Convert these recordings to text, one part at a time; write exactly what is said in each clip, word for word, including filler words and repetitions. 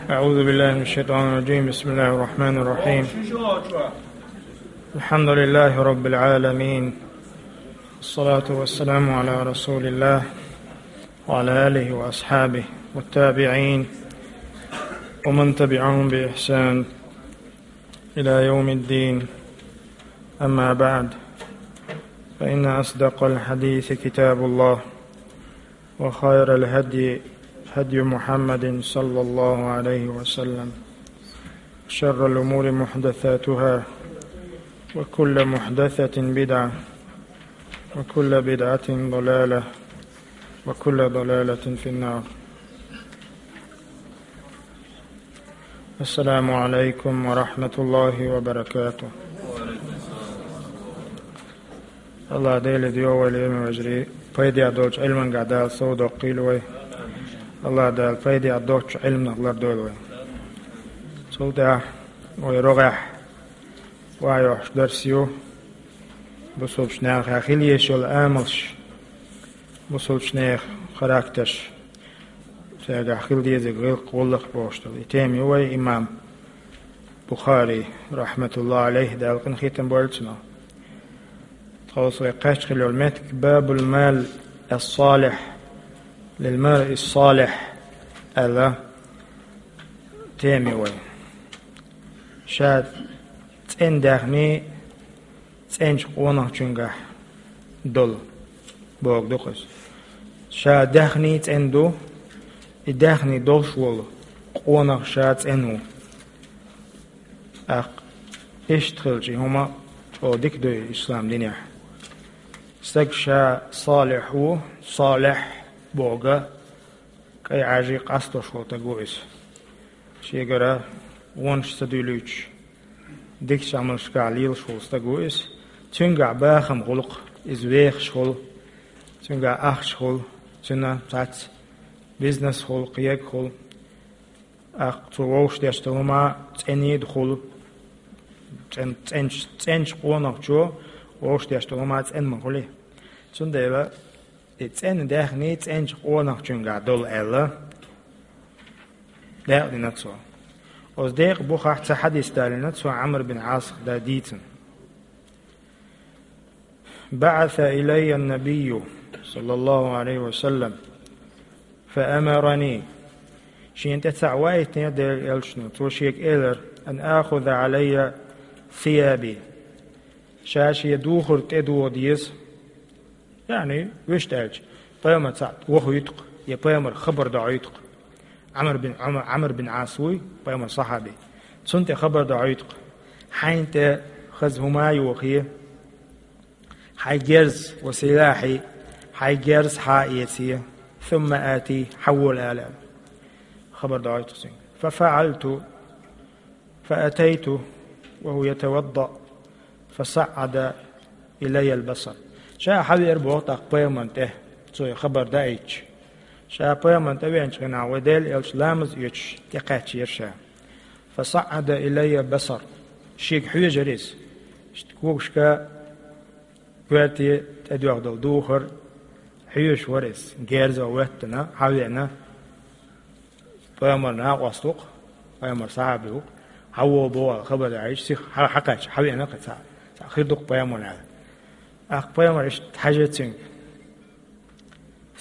أعوذ بالله من الشيطان الرجيم. بسم الله الرحمن الرحيم. الحمد لله رب العالمين. الصلاة والسلام على رسول الله وعلى آله وأصحابه والتابعين ومن تبعهم بإحسان إلى يوم الدين. أما بعد، فإن أصدق الحديث كتاب الله، وخير الهدي هدي محمد صلى الله عليه وسلم، وشر الأمور محدثاتها، وكل محدثة بدعة، وكل بدعة ضلالة، وكل ضلالة في النار. السلام عليكم ورحمة الله وبركاته. АллахӀ Дела деза вай, лераме вежарий, пайде долчу Ӏилманга Дала сов доккхийла вай. АллахӀ Дала пайде доцчу Ӏилманах лардойла вай. Цул тӀаьхьа вай рогӀехь вайохьуш дарс ю бусулбачу нахехь хила езаш йолу амалш, бусулбачу нехан характерш, цаьргахь хила дезарг гӀиллакх, гӀуллакх бохуш долу. И тема ю вай имам Бухари, рахьматуллахӀи Ӏалайхи, Дала къинхетам бойла цунах. Тхо вай кхаьчна хилла йолу меттиг «Бабул мал ас-салихь лил маръи ас-салихь» аьлла тема ю вай. Ша цӀена даьхний цӀеначу къонахчуьнгахь долу бохург ду-кх иза. Ша даьхний цӀена ду, и даьхний долуш волу къонах ша цӀена ву. ТӀаккха иштта хилча, и хӀума чӀогӀа дика ду ислам динехь. Стаг ша салихь ву, салихь бохург кӀайн Ӏаьржий къастош волу стаг ву иза. Шегара вонаш ца дуьйлуьйтуш, дикачу Ӏамалшкахь лелаш волу стаг ву иза. Цуьнгахь бахам хуьлу-кх, иза вехаш хуьлу, цуьнгахь ахча хуьлу, цуьнан цхьацца бизнес хуьлу, кхин ерг хуьлу. ТӀаккха цо вовшах деш долу хӀума цӀена а хуьлу, цӀен-, цӀеначу, цӀеначу къонахчо вовшах деш долу хӀума цӀена ма хуьлий. Цундела и цӀена даьхний цӀеначу къонахчуьнгахь долу аьлла, декъа дина цо. Оцу декъан бухахь цхьа хьадис далийна цо Ӏамр бин Ӏасах дан дийцина. «بعث إلي النبي صلى الله عليه وسلم فأمرني». Шена тӀе цхьаъ ваийтинера Делан элчано, цо шега элира: «أن آخذ علي ثيابي». Ша шен духар тӀедуха деза. Яъни, вуьшта аьлча, пайхамар цхьаъ вохуьйту-кх, я пайхамар хабар дохьуьйту-кх. Ӏамр бин, Ӏамр, Ӏамр бин Ӏас вуй, пайхамар сахьаби. Цунна тӀе хабар дохьуьйту-кх. Хьайна тӀе хаза хӀума а йохий, хьайн герз, ва силахьи, хьайн герз хьа а эций, ثم آتيه, хьавола ала. Хабар дохьуьйту-кх цуьнга. ففعلت. فأتيته وهو يتوضأ فصعد إلي البصر. Ша хьавеара боху тӀаккха пайхамарна тӀе, цо и хабар даийтича. Ша пайхамарна тӀе веанчу хенахь вай Делан элча ламаз оьцуш тӀекхаьчнера ша. فصعد إلي البصر. Шега хьоьжура иза. Иштта когашка коьрте тӀедоьгӀна долу духар хьоьжуш вара иза. Герзо хӀоьттина, хьавеана. Пайхамар накъост ву-кх, пайхамар сахьаби ву-кх, хьавола боху аьлла хабар даийтича, сиха хьа-, хьакхаьчча, хьавеана кхин цхьаъ, цхьаъ хир ду-кх пайхамарна аьлла. ТӀаккха пайхамар иштта хьаьжира цуьнга.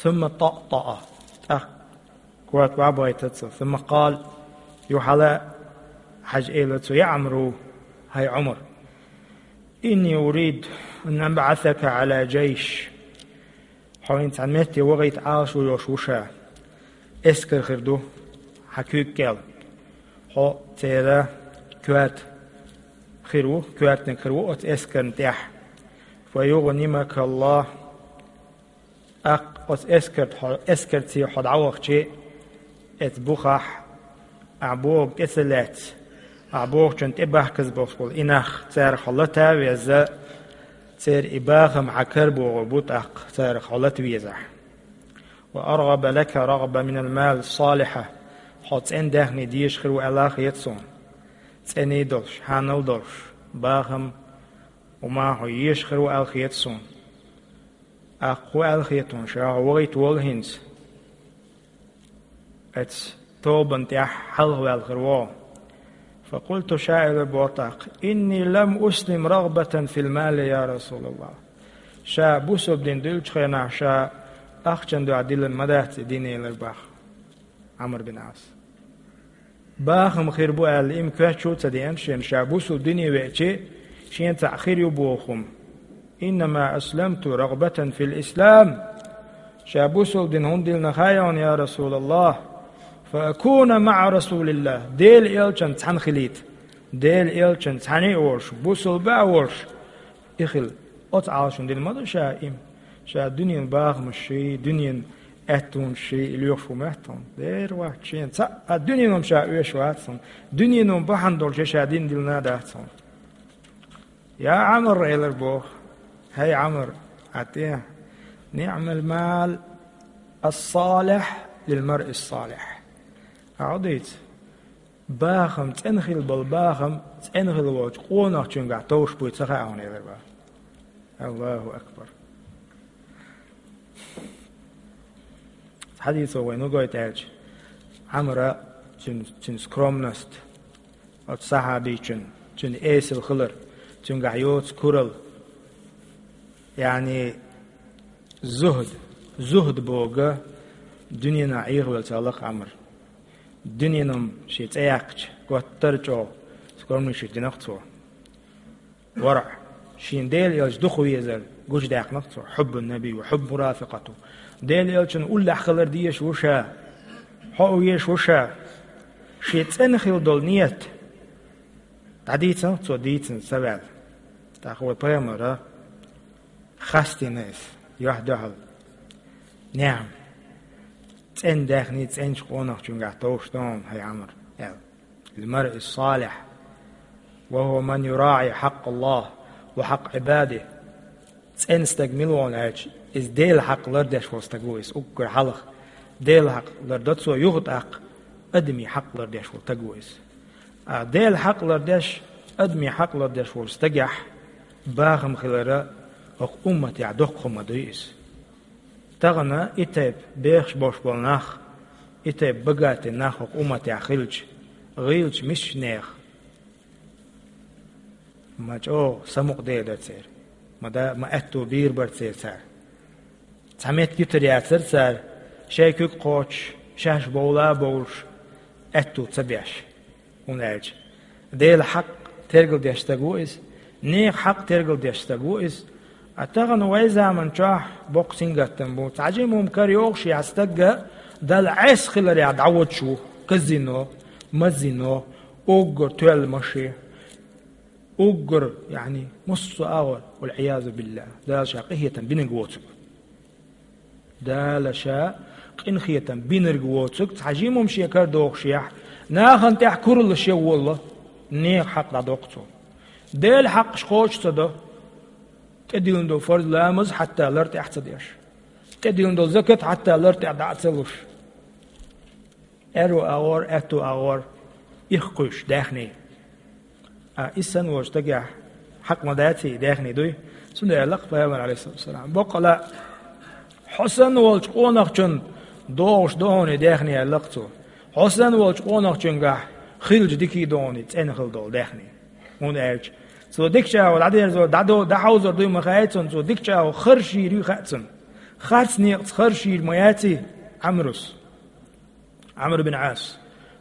ثم طأطأ. ТӀаккха корта охьабахийтира цо. ثم قال. Юха хьала хьаьжа элира цо: «يا عمرو, хӀай Ӏумар, إني أريد أن أبعثك على جيش». Хьо хӀинца цхьана метте вахийта Ӏалашо йолуш ву ша. Эскар хир ду хьан куьйга кӀел. Хьо церан коьрта хир ву, коьртаниг хир ву оцу эскарна тӀехь. فيغنمك الله. ТӀаккха оцу эскарт хьо, эскарца хьо дӀавахча, оцу бухахь ахь бохург тӀе ца лаьцна, ахь бохучунна тӀе бахказа болуш болу и нах, царах хьо лата а веза, церан и бахам хьан кара богӀур бу тӀаккха, царах хьо лата везахь. وأرغب لك رغبة من المال الصالحة. Хьо цӀена даьхни дезаш хир ву аьлла а хета суна. ЦӀений долуш, хьанал долуш, бахам, хӀума хьо езаш хир ву аьлла хета суна. ТӀаккха хӀун аьлла хета хьуна ша, хьо вахийта волу хӀинца? Эцу тобанна тӀехь хьалхаваьлла хир ву. فقلت, ша элира боху тӀаккха: إني لم أسلم رغبة في المال يا رسول الله. Ша бусалба дин дуьллучу хенахь ша ахчанна дуьхьа диллина ма дац и дин, элира боху Ӏамр бин Ӏас. Бахам хир бу аьлла, и-м коьрта чу а ца деана шена, ша бусалба дине веача, шена цхьаъ хир ю боху хӀума. إنما أسلمت رغبة في الإسلام. Ша бусалба дин хӀунда диллина хаьий хьуна, я Расулаллах? فأكون مع رسول الله. Делан элчанца цхьаьна хилийта. Делан элчанца цхьаьна а волуш, бусалба а волуш, и хила. Оцу Ӏалашонна дина ма ду ша и-м. Ша дуьненан бахамашший, дуьненан аьттонашший и лоьхуш ву моьтту хьуна. Дера вац шена цхьа а дуьненан ша оьшуш вац хьуна. Дуьненан бахьана долуш я ша дин диллина а дац хьуна. Я Ӏамр, элира боху, хӀай Ӏамр, Ӏа тӀе, نعم المال الصالح للمرء الصالح. Ахьа дийца, бахам, цӀена хила болу бахам, цӀена хила волчу къонахчуьнгахь товш буй ца хаьа хьуна, элира боху. Аллаху акбар! Хьадисо вайна гойту аьлча, Ӏамра цуьнан, цуьнан скромность, оцу сахьабичун, цуьнан эсала хилар, цуьнгахь йоцу куралла, яъни зухд, зухд богу дуьненахь Ӏехавелла ца лакха Ӏамр. Дуьненан шен цӀе яьккхича, готтара чӀогӀа скромничать динарх цо. ВаргӀ, шен Делан элча дукха везар гучудаьккхинарх цо, حب النبي وحب مرافقته. Делан элчанна уллехь хилар дезаш ву ша, хьо а везаш ву ша. Шен цӀена хила долу ният дӀадийцинарх цо дийцина ца ваьлла. ТӀаккха вай пайхамара хастийна иза, юьхь-дуьхьал. نعم. ЦӀена даьхний цӀеначу къонахчуьнгахь товш ду хьуна, хӀай Ӏамр, аьлла. للمرء الصالح وهو من يراعي حق الله وحق عباده. ЦӀена стаг мила ву аьлча, иза Делан хьакъ лардеш волу стаг ву иза, уггар хьалха. Делан хьакъ лардо цо, юха тӀаккха адамийн хьакъ лардеш волу стаг ву иза. А Делан хьакъ лардеш, адамийн хьакъ лардеш волу стагехь бахам хилара хӀокху умматехь доккха хӀума дуй иза. Тахана и тайпа бехаш болуш болу нах, и тайпа богатый нах хӀокху умматехь хилча, гӀийлачу мисачу нехан ма чӀогӀа самукъаде дара церан, ма да-, ма аьтту бийр бара церан цара. Цхьа меттиг йитар яцара цара, шайн куьг кхочуш, шаьш бовла а бовлуш, аьтту ца беш. ХӀунда аьлча Делан хьакъ тергалдеш стаг ву иза, нехан хьакъ тергалдеш стаг ву иза. А тахана вай заман чохь боккха сингаттам бу. Цхьа жима хӀума карайогӀуш яц стагга, Далла Ӏеса хиларехь дӀаводуш ву казино, мазино, уггар тоьлла машен, уггар, яъни, массо а агӀор, والعياذ بالله, Дала ша къинхетам бинарг воцург. Дала ша къинхетам бинарг воцург цхьа жима хӀума шен карадохушехь, нахана тӀехь кураллаш ян волало, нехан хьакъ дӀадоккху цо. Делан хьакъаш кхочуш ца до, тӀедиллина долу фарз ламаз хьатта лар тӀехь ца деш, тӀедиллина долу закат хьатта лар тӀехь дӀа а ца луш. Аьрру агӀор, аьтту агӀор, ирх кхуьйсуш даьхний. А, иза санна волчу стагехь хьакъ ма даций, даьхний дуй? Цундела аьлла-кх пайхамар, алейхиссалату вассалам: боккъала, хьо санна волчу къонахчун догӀуш ду хьуна и даьхний, аьлла-кх цо. Хьо санна волчу къонахчуьнгахь хилча дикий ду хьуна и цӀена хила долу даьхний. ХӀунда аьлча цо дикачу агӀор дӀадерзор, дӀадо-, дӀахьовзор дуй ма хаьий цунна, цо дикачу агӀор харжийр юй хаьа цунна. Харц некъаца харжийр ма яций Ӏамрус. Ӏамр бин Ӏас.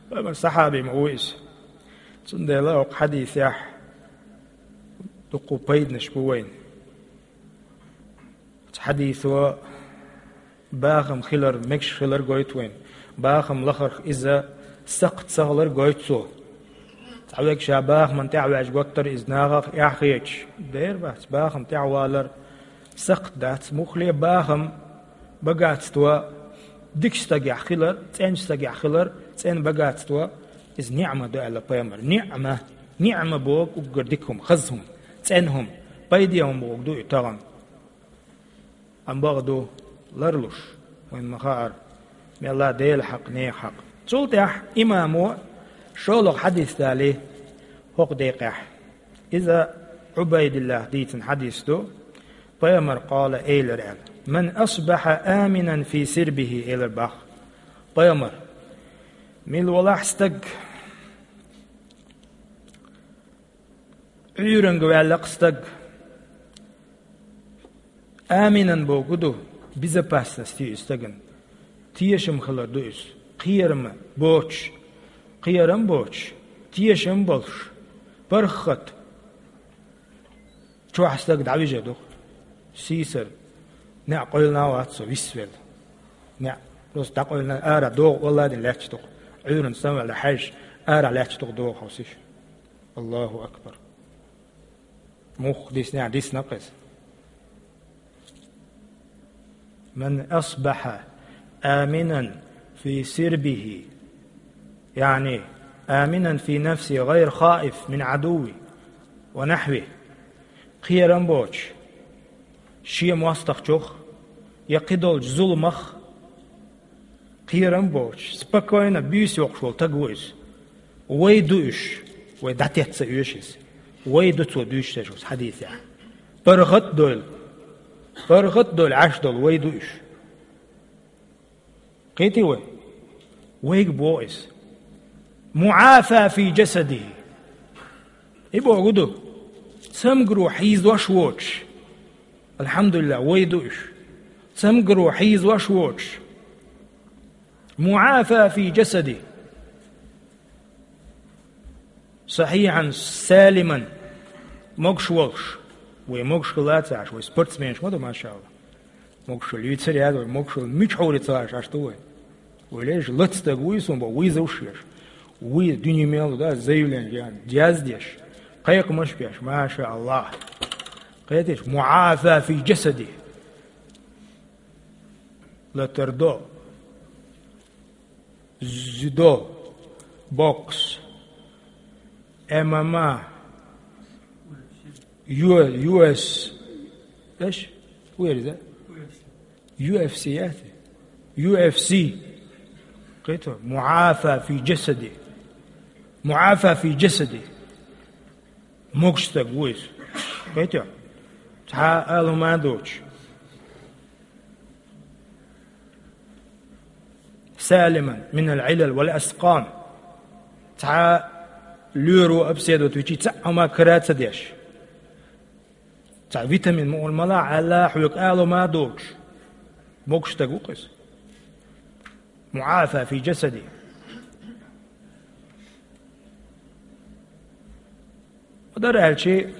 Пайхамар сахьаби ма ву иза. Цундела хӀокху хьадисехь дуккха пайданаш бу вайна. Оцу хьадисо бахам хилар, мегаш хилар гойту вайна. Бахам лахарх иза сакхт ца хилар гойту цо. Цхьаверг ша бахаман тӀехь ваьжна готтара иза нахах эхь хеташ. Дера бац, бахам тӀехь валар сакхт дац, муххале бахам, богатство дикачу стагехь хилар, цӀеначу стагехь хилар, цӀена богатство, иза ниӀма ду аьлла пайхамар. НиӀма, ниӀма боху уггар дика хӀума, хаза хӀума, цӀена хӀума, пайде хӀума боху ду и тахана. Амма бакъ ду, ларлуш, вайна ма хаара, мелла Делан хьакъ, нехан хьакъ. Цул тӀаьхьа имамо шолгӀа хьадис далий хӀокху декъехь. Иза Ӏубайдиллах дийцина хьадис ду. Пайхамар къала элира аьлла: «Ман асбаха аминан фи сирбихи», — элира боху пайхамар. Мила валахь стаг, Ӏуьйранга ваьлла-кх стаг, аминан бохург ду, безопасность ю иза стагана. Тешам хилар ду иза. Кхерам боцуш, кхерам боцуш, тешам болуш, паргӀат. Чохь стаг дӀавижар ду-кх. Сийсара. НеӀ къевлина а вац со висвелла. НеӀ просто дӀакъевлина, ара догӀу валладина лаьтташ ду-кх. Ӏуьйранна самаваьлла хьаьжча, ара лаьтташ ду-кх догӀу хьовсийша. Аллаху акбар. Муха дисна, дисна-кх иза. من أصبح آمنا في سربه، يعني آمنا في نفسه غير خائف من عدو ونحوه. Кхерам боцуш, шен мостагӀчух я кхидолчу зуламах кхерам боцуш, спокойно буьйса йоккхуш волу стаг ву иза. Вай ду уьш, вай дӀатетта ца оьшу иза. Вай ду цо дуьйцуш дерш оцу хьадисехь. ПаргӀат а дойлу, паргӀат а дойлу Ӏаш долу вай ду уьш. Кхетий вай? Вайга боху иза. معافى في جسده. И бохург ду, цамгаро хьийзош воцуш. Алхьамдулиллах, вай ду уьш. Цамгаро хьийзош воцуш. معافى في جسده. صحيحا سالما. Могуш волуш. Вай могуш хилла ца Ӏаш, вай спортсменаш ма ду, машаАллахӀ. Могушалла юьйцур яц вай, могушалла мичахь вуьйцу ца Ӏаш, Ӏаш ду вай. Вай леш лаца стаг вуй суна боху, вуьйзуш еш. Вуй дуьне мел ду, да, заявление ян, яздеш. Кхайкхамаш беш, машаАллахӀ. Кхеташ, معافى في جسده. Латар до. Дзюдо, бокс, М М А, Ю-, Ю Эс, эш? Ву яра иза? Ю Эф Си яц? Ю Эф Си. Кхетий? معافى في جسده. معافى في جسده. Могуш стаг ву иза. Кхетий? Цхьа а ала хӀума а доцуш. سالما من العلل والأسقام. Цхьа лоьро, обследовать вичи цхьа а хӀума кара а ца деш. Цхьа витамин мукъана мала а Ӏаьлла, хьоьга ала хӀума а доцуш. Могуш стаг ву-кх иза. معافى في جسده. Дар аьлчи,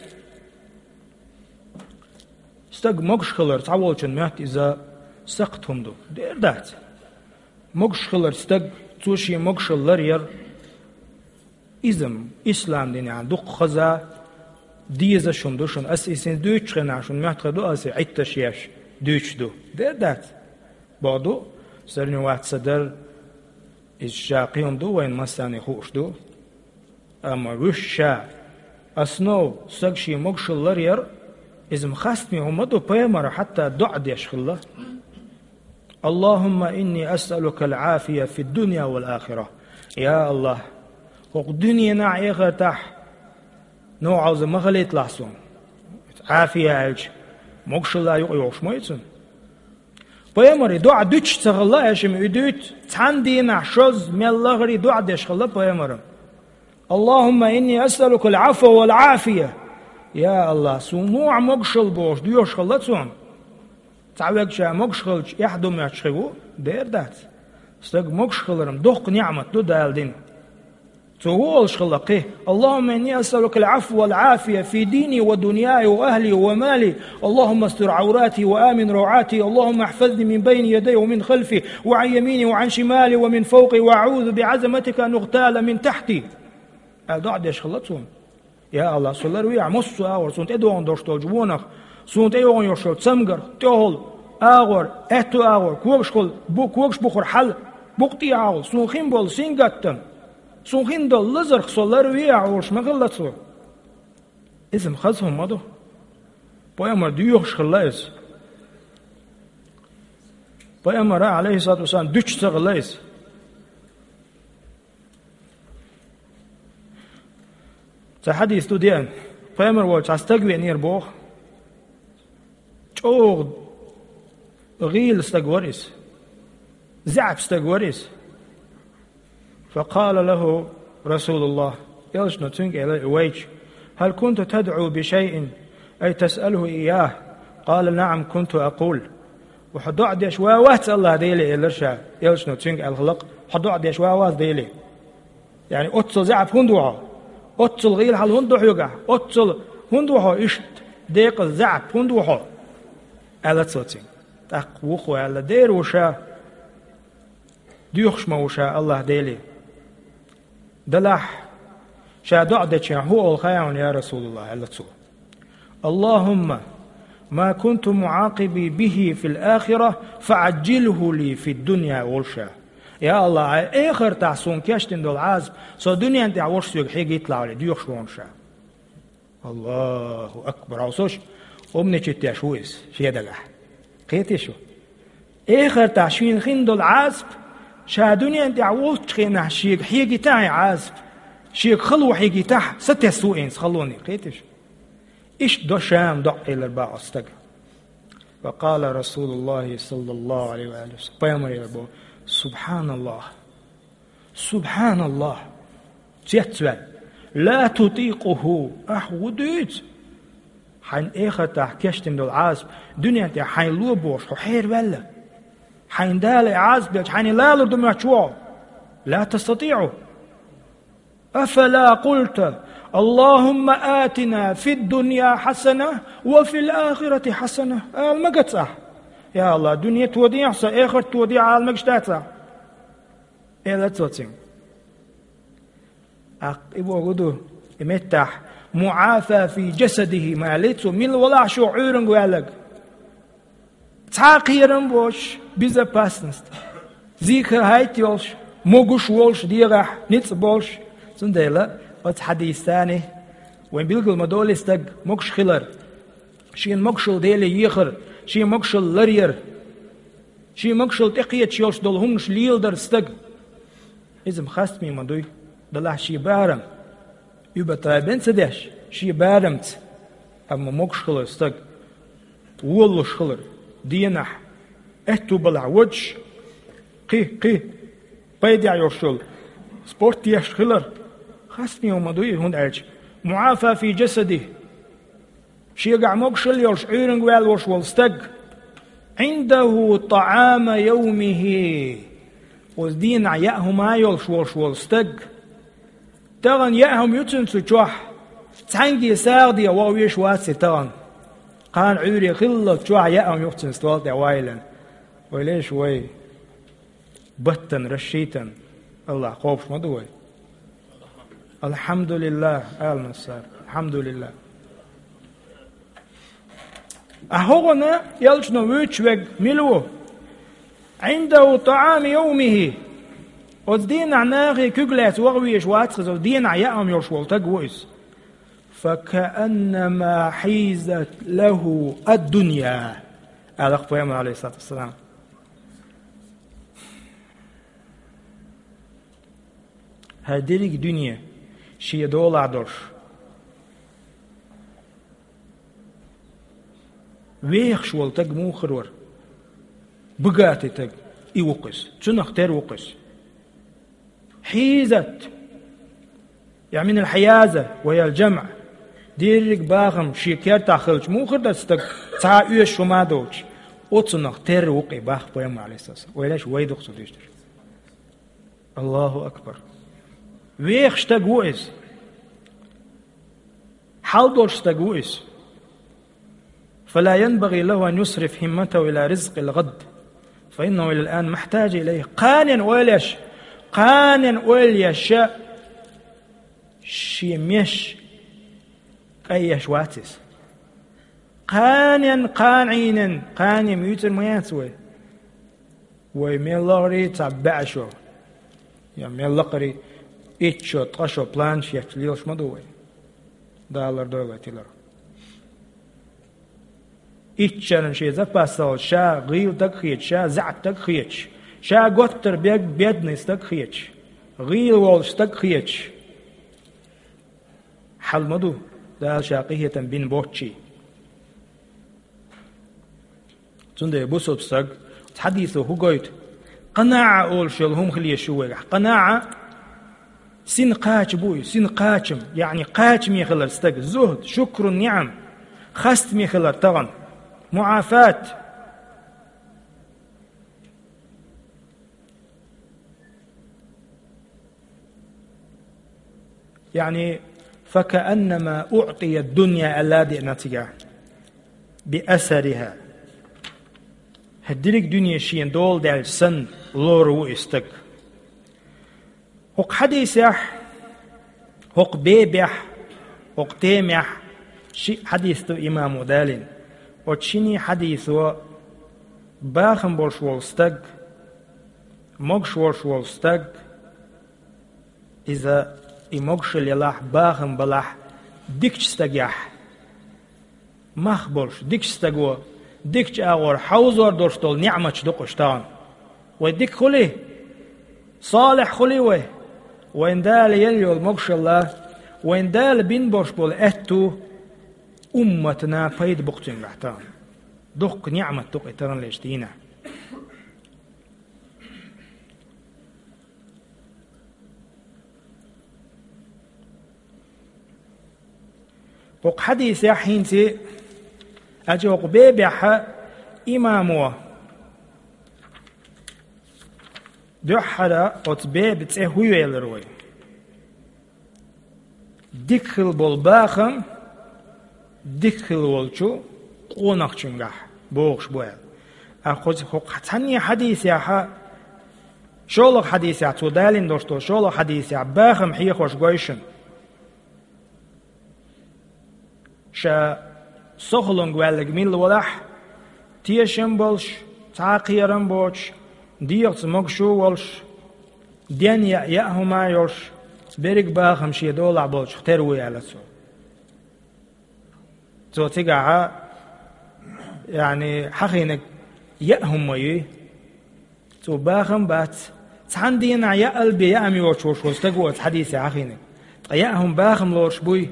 стаг могуш хилар цхьаволчун моьтту иза сакхт хӀума ду. Дера дац. Могуш хилар стаг, цо шен могушалла ларъяр, иза-м ислам динехь дукха хаза, дезаш хӀума ду шуна. Ас иза хӀинца дуьйцучу хенахь шуна моьттуш хир ду, аса Ӏитташ еш дуьйцуш ду. Дера дац. Боху ду, сарни вац сан дар, иза ша кхин хӀума ду, вайна массарна хууш ду. Амма вуьш ша, основа, стаг шен могушалла ларъяр, иза-м хастаме хӀума ма ду, пайхамара хьатта доӀа деш хилла. اللهم إني أسألك العافية في الدنيا والآخرة. Я АллахӀ, хӀокху дуьненахь а, эхартахь а новкъарло ма хилийталахь суна. Ӏафия аьлча, могушалла юкъа йогӀуш ма ю цунна. Пайхамара и доӀа дуьтуш ца хилла, аьшим и дуьйцу, цхьана дийнахь шозза, мел лахара и доӀа деш хилла пайхамара. اللهم إني أسألك العفو والعافية. Я АллахӀ, суна лохьа могушалла бохуш доьхуш хилла цунна. Цхьа вегаш ша могуш хилча, эхь ду моьттуш хир ву, дера дац. Стаг могуш хилар-м доккха ниӀмат ду Дала дина. Цо хӀун олуш хилла кхин? اللهم إني أسألك العفو والعافية في ديني ودنياي وأهلي ومالي. اللهم استر عوراتي وآمن روعاتي. اللهم احفظني من بين يدي ومن خلفي وعن يميني وعن شمالي ومن فوقي وأعوذ بعظمتك أن أغتال من تحتي. Аьлла доӀа деш хилла цунна. Я АллахӀ, со ларвехьа массо а агӀор, суна тӀедогӀун долуш долчу вонах, суна тӀейогӀун йолуш йолу цамгарх, тӀехула агӀор, аьтту агӀор, когашхула, бу-, когаш бухара хьала, букъа тӀехьа агӀор, суна хин болу сингаттам, суна хин долу лазарх со ларвехьа олуш ма хилла цо. Иза-м хаза хӀума ма ду. Пайхамар доьхуш хилла иза. Пайхамара, Ӏалайхиссалату вассалам, дуьтуш ца хилла иза. Цхьа хьадис ду деана, пайхамар волчу цхьа стаг веанера боху. ЧӀогӀа гӀийла стаг вара иза. ЗаьӀап стаг вара иза. فقال له رسول الله, элчано цуьнга элира и вайча: هل كنت تدعو بشيء أي تسأله إياه؟ قال: نعم، كنت أقول. Хьо доӀа деш ван вац Аллахь Деле, элира ша. Элчано цуьнга аьлла хилла-кх: хьо доӀа деш ван вац Деле. Яъни оццул заьӀап хӀунда ву хьо? Оццул гӀийла хьал хӀунда ду хьоьгахь? Оццул хӀунда ву хьо иштта декъаза, заьӀап хӀунда ву хьо? Аьлла цо цуьнга. ТӀаккха вухо аьлла: дера ву ша, доьхуш ма ву ша Аллахь Деле. Делахь ша доӀа дечохь хӀун олу хаьий хьуна, я РасулаллахӀ, аьлла цо. اللهم ما كنت معاقبي به في الآخرة فعجله لي في الدنيا, олу ша. Я Аллахь, хьайн эхартахь суна кечдина долу Ӏазап со дуьнен тӀехь волуш соьга хьегийталахь, доьхуш ву хьуна ша. Аллаху акбар! Хьовсаш, умничать деш ву иза шен дагахь. Кхетий шу? Эхартахь шена хин долу Ӏазап ша дуьнен тӀехь волчу хенахь шега хьегийтахь и Ӏазап, шега хало хьегийтахь, сатесна ву иза халоне. Кхетий шу? Иштта до ша-м доӀа, элира бах оцу стага. فقال رسول الله صلى الله عليه وآله وسلم, пайхамаре боху: سبحان الله! СубхьаналлахӀ! Цецваьлла. لا تطيقه! Ахь хӀун дуьйцу? Хьайн эхартахь кечдина долу Ӏазап дуьнен тӀехь хьайна ло бохуш хьо хьераваьлла. Хьайна Дала и Ӏазап делча, хьайна лалур ду моьттуш ву хьо? لا تستطيع! أفلا قلت: اللهم آتنا في الدنيا حسنة وفي الآخرة حسنة؟ Ала ма гацахь: я Аллахь, дуьне тодехьа сан, эхарт тодехьа, ала мегаш дацахь? Элира цо цуьнга. ТӀаккха и бохург ду, и меттахь: معافى في جسده, ма аьллий цо, мила валахь шу Ӏуьйранга ваьлларг. Цхьа а кхерам боцуш, безопасность. Зихар хӀайт йолуш, могуш волуш дегӀахь, ницкъ болуш. Цундела оцу хьадисца вайн билгал ма долий стаг могуш хилар, шена могушалла Деле ехар, шен могушалла ларъяр. Шен могушалла тӀекхеташ йолуш долу хӀуманаш леладар стага. Иза-м хастаме ма дуй, делахь шен барам, уьбатайбен ца деш, шен барамца, амма могуш хилар стаг, волалуш хилар, денахь, аьтту балахь водуш, кхин, кхин, пайдехь йолуш йолу спорт деш хилар, хастаме ма дуй, хӀунда аьлча معافى في جسده. Шегахь могушалла йолуш, Ӏуьйранга ваьлла волуш волу стаг, عنده طعام يومه, оцу дийнахь яа хӀума йолуш волуш волу стаг, тахана яа хӀума ю цуьнан цу чохь, цхьаьнгге сагӀа де ваха везаш вац и тахана. Кхана Ӏуьйре хиллалц чохь яа хӀума ю цуьнан стол тӀе ваийлина. Вай леш вай. Баттана, расчитана, Аллахь кхобуш ма ду вай. АлхьамдулиллахӀ, ала массара. АлхьамдулиллахӀ. А хӀокхуна элчано вуьйцуш верг мила ву? Ӏиндаху тӀаӀаму йовмихӀи. Оцу дийнахь нахе куьг лаьцна ваха везаш вац иза, оцу дийнахь яа хӀума йолуш волу стаг ву иза. Факааннама хьизат лахӀу ад-дунья, аьлла-кх пайхамар, Ӏалайхиссалату вассалам. ХӀара дерриг дуьне шен долахь долуш, вехаш волу стаг муха хир вара? Богатый стаг, и ву-кх иза. Цунах тера ву-кх иза. Хьизат. Я минал хьияза ва ял джамъ. Дерриг бахам шен кертахь хилча муха хир дара стаг, цхьа оьшуш хӀума а доцуш? Оцунах тера ву-кх и, бах пайхамар, Ӏалайхиссалату вассалам. Вай леш, вай ду-кх цо дуьйцуш дерг. АллахӀу акбар! Вехаш стаг ву иза. Хьал долуш стаг ву иза. Фала янбагӀи лахӀу ан юсриф хӀимматахӀу ила ризкъил гӀад, фаиннахӀу илал ан мухьтажу илайхӀи. Кханенна ойла еш, кханенна ойла еш шен меш кхайеш вац иза. Кханенна, кхана Ӏийнан, кхане муьйцур ма яц вай. Вай мел лахара цхьа бӀешо, я мел лакхара итт шо, ткъа шо планаш етташ лелаш ма ду вай. Дала лардойла вай тилар. Итт шеран шен запас ца хилча, ша гӀийла стаг хеташ, ша заьӀап стаг хеташ, ша готтар бед-, бедный стаг хеташ, гӀийла волуш стаг хеташ. Хьал ма ду, Дала ша къинхетам бина боццушехь. Цундела бусалба стаг, хьадисо хӀун гойту? КъанаӀа олуш йолу хӀума хила езаш ю вайгахь. КъанаӀа, Син кхача бу и, син кхачам, яъни кхачаме хилар стаг, зухд, шукру ниъам, хастаме хилар тагӀан, муӀафат. Яъни, «فكأنما أعطي الدنيا», аьлла деана цигахь, «بأثرها». ХӀара дерриг дуьне шена дола даьлча санна лорув и стаг. ХӀокху хьадисехь, хӀокху бебехь, хӀокху темехь шиъ хьадис ду имамо далийна. Оцу шине хьадисо бахам болуш волу стаг, могуш волуш волу стаг, иза и могушалла елахь, бахам балахь дикачу стагехь, мах болуш, дикачу стаго, дикачу агӀор хьовзор долуш долу ниъматаш ду-кх уьш тахана. Вай дика хуьлий, салихь хуьлий вай, вайн Дала елла йолу могушалла, вайн Дала бина болуш болу аьтту умматана пайда бу-кх цуьнгахь тахана. Дуккха ниъмат ду-кх и таханлерчу дийнахь. ХӀокху хьадисехь хӀинца, аьлча хӀокху бебехь имамо дуьххьара оцу беба цӀе хӀун йоьллира вай? Дика хила болу бахам, дика хила волчу къонахчуьнгахь бохуш бу аьлла. Ткъа кхуза хӀокху цхьанне хьадисехь, шолгӀа хьадисехь, цо далийна долуш долу шолгӀа хьадисехь бахам хьехош гой шуна. Ша сохалунга ваьлларг милла валахь, тешам болуш, цхьа а кхерам боцуш, дегӀаца могуш а волуш, ден яа, яа хӀума а йолуш, берриг бахам шен долахь болчух тера ву, аьлла цо. Цо цигахь, яъни, хьахийнарг яа хӀума ма юй. Цо бахам бац. Цхьана дийнахь яа а бен яа хӀума йоцуш волуш волу стаг ву оцу хьадисехь хьахийнарг. Ткъа яа хӀума бахам лоруш буй?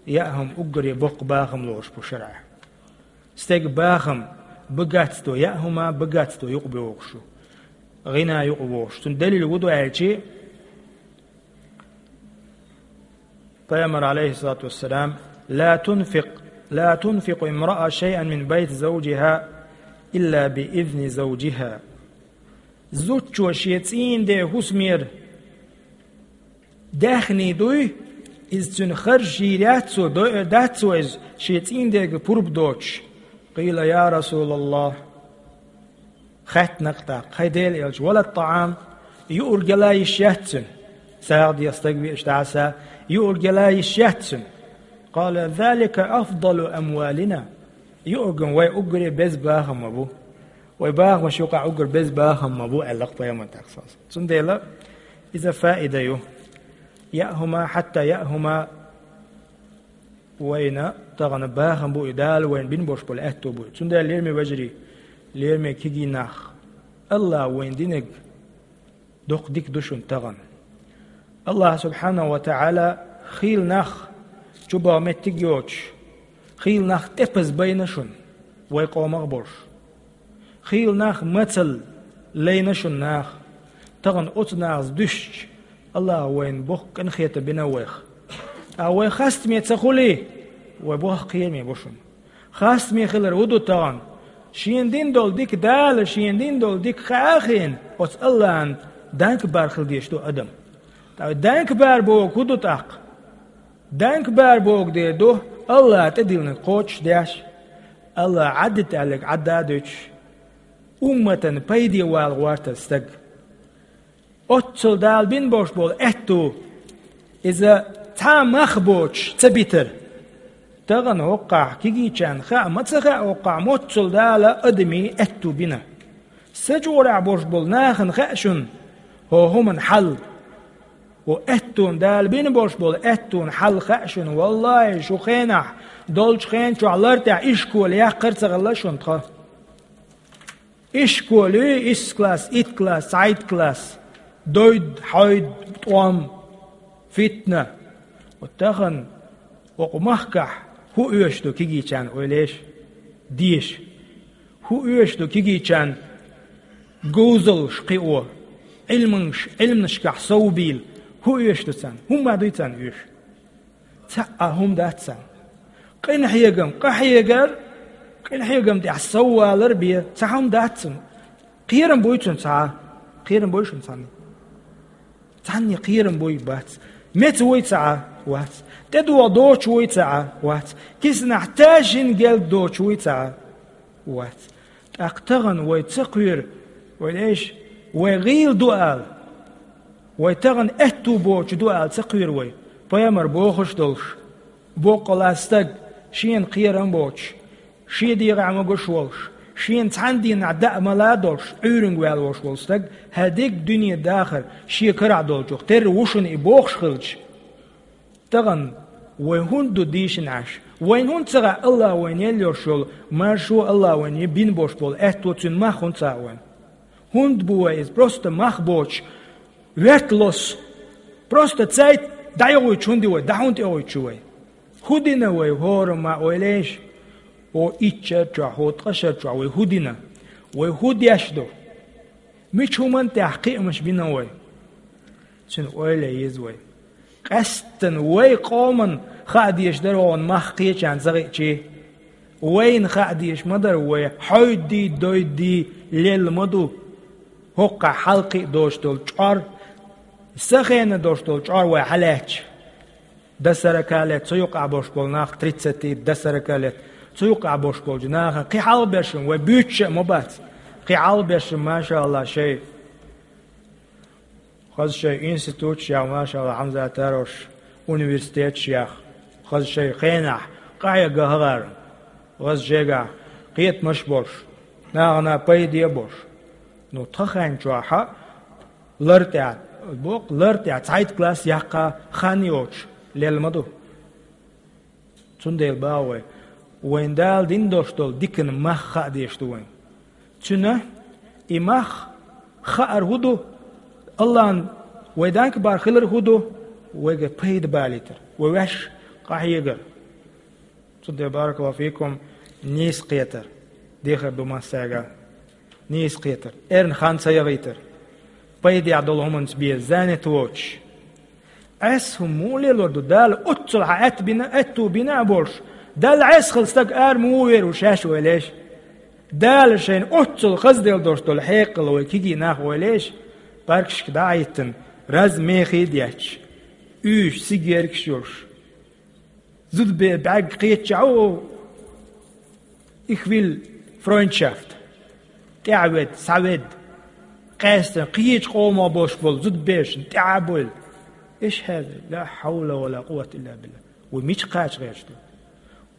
Яа хӀума уггаре боккха бахам лоруш бу шарӀехь. Стеган бахам багатство, яа хӀума багатство юкъа бохуш ю. ГӀина юкъа бохуш. Цуьнан далил хӀун ду аьлча, Пайхамар, алейхиссалату вассалам: «لا تنفق، لا تنفق امرأة شيئا من بيت زوجها إلا بإذن زوجها». Зудчо шен цӀийнан ден хӀусамера даьхний дуй, иза цуьнан харжа йийр яц цо, дойур дац цо иза, шен цӀийнан дега пурба доцуш. قيل: يا رسول الله. Хаьттина-кх тӀаккха: «Хьайн Делан элча, ولا الطعام, юург яла йиш яц цуьнан?» СагӀа деш стаг веача дӀа а са, юург яла йиш яц цуьнан. قال: «ذلك أفضل أموالنا». Юург-м вай уггаре беза бахам ма бу. Вай бахамаш юкъахь уггар беза бахам ма бу, аьлла-кх Пайхамар тӀаккха. Цундела иза фаида ю. Яа хӀума, хьатта яа хӀума вайна тахана бахам бу и, Дала вайна бина болуш болу аьтту бу и. Цундела, лераме вежарий, лераме кегий нах, АллахӀа вайна динарг доккха дика ду шуна тахана. АллахӀ субхьанаху ва тагӀала хийла нах чубаха меттиг йоцуш, хийла нах тӀепаза байна шуна, вай къомах а болуш. Хийла нах мацалла лайна шуна наха. Тахана оцу нахаца дуьстича, АллахӀа вайна боккха къинхетам бина вайх. Ткъа вай хастаме ца хуьлий, вай боккха кхераме бу шуна. Хастаме хилар хӀун ду тахана? Шена дина долу дика, Дала шена дина долу дика хаа а хиъна, оцу АллахӀана данкбар хила дезаш ду адам. Ткъа данкбар бохург хӀун ду тӀаккха? Данкбар бохург дера ду, АллахӀа тӀедиллинарг кхочушдеш, АллахӀа Ӏадда аьлларг Ӏадда а дуьтуш, умматана пайде вала гӀортар стаг. Оццул Дала бина болуш болу аьтту, иза цхьа а мах боцуш ца битар. Тахана хӀокхахь кегийчарна хаа ма ца хаьа, хӀокхахь моццул Дала адамийн аьтту бина. Са чкъурехь болуш болу нахана хаьа шуна хӀокху хӀуманан хьал. ХӀокху аьттуна, Дала бина болуш болу аьттуна хьал хаьа шуна. Валлахьи, шу хенахь долчу хен чохь лар тӀехь ишколе яккхар а ца хилла шуна тхан. Ишкол ю, исс класс, итт класс, цхьайтта класс, дойд, хьойд, тӀом, фитна. Вот тахана хӀокху махкахь хӀун оьшуш ду кегийчарна, ойла еш, деша? ХӀун оьшуш ду кегийчарна говзаллаш кхио, Ӏилманаш, Ӏилманашкахь сов бийла? ХӀун оьшуш ду царна? ХӀумма дуй царна оьшуш? Цхьа а хӀума дац царна. Къинхьегам, къахьегар, къинхьегам тӀехь соввалар бе, цхьа хӀума дац царна. Кхерам буй цунна цхьа а? Кхерам буй шуна цхьанна? Цхьанне кхерам буй? Бац. Меца вуй цхьа а? Вац. ТӀедогӀа доцуш вуй цхьа а? Вац. Киснахь ташина гелда доцуш вуй цхьа а? Вац. ТӀаккха тахана вай ца кхоьру, вай эш, вай гӀийла ду ала, вай тахана аьтту боцуш ду ала ца кхоьру вай, пайхамар бохуш долуш, боккъала стаг, шена кхерам боцуш, шен дегӀахь могуш волуш, шена цхьана дийнахь даа мала а долуш, Ӏуьйранга ваьлла волуш волу стаг, хӀара дерриг дуьне дахар шен карахь долчух терра ву шуна и бохуш хилча, тахана вай хӀунда ду дийшина Ӏаш? Вайна хӀунда ца хаьа АллахӀа вайна елла йолуш йолу маршо, АллахӀа вайна бина болуш болу аьтто, цуьнан мах хӀунда ца хаьа вайна? ХӀунда бу вай иза? Просто мах боцуш, верталос. Просто цайт дӀайохуьйтуш хӀунда ю вай, дӀа хӀунда тӀехуьйтуш ю вай? ХӀун дина вай хӀораммо, ойла еш? ХӀо итт шар чохь, хӀо ткъа шар чохь вай хӀун дина? Вай хӀун деш ду? Мича хӀуманна тӀехь кхиамаш бина вай? Цуьнан ойла е еза вай. Къаьсттина вай къоманна хаа дезаш дара хьуна мах кхечарна ца хиъчи. Вайна хаа дезаш ма дара вай, хьойдий, дойдий лелла ма ду. ХӀокхахь хьалакхиа доцуш долу чкъор, сан хенахь доцуш долу чкъор вай хьалаьцча. До сорока лет, цу юкъахь болуш болу нах, тридцати до сорока лет, цу юкъахь болуш болчу нахана кхин хьалхаберш вай буьйцуш а ма бац. Кхин хьалхаберш, машаАллахӀ, шайн хаза шайн институташ яха, машаАллахӀ, Хьамзат Тарович, университеташ яха, хаза шайн хенахь къахьега хӀара, хаза шайгахь кхетамаш а болуш, нахана пайде а болуш. Ну, тхан хенчохь а лар тӀехь, боккъал лар тӀехь цхьайтта класс яккха хан йоцуш лелла ма ду. Цундела боху вай, вайна Дала дина долуш долу диканан мах хаа дезаш ду вайна. Цуьнан и мах хаар хӀун ду? АллахӀан вай данкбар хилар хӀун ду? Вайга пайда балийтар, вай ваьш къахьегар. Цундела, баракаллаху фикум, нийса кхетар дехар ду массаьрга. Нийса кхетар, эрна хан ца яхийтар, пайдехь долу хӀуманца бен занят воцуш. Ӏеса хӀума муха лелор ду? Дала оццул хьан аьтта бина, аьтту бина а болуш, Далла Ӏеса хилла стаг ара муха вер ву шаьш, ойла еш? Дала шайна оццул хазделла долуш долу хьекъал вай кегий нах, ойла еш, паркашка дӀа а хӀиттина, раз мехий а детташ, уьйш сигеркаш йолуш. Зудабер бӀаьрг кхетча а ву, их вилла Фройндшафт. ТӀаьхьаведа, схьаведа. Къаьстина, кхечу къомах болуш болу зудабершна тӀаьхьа а бойла. Эш хьаьза, ла хьавла ва ла къуввата илла билла. Вай мича кхача гӀерташ ду?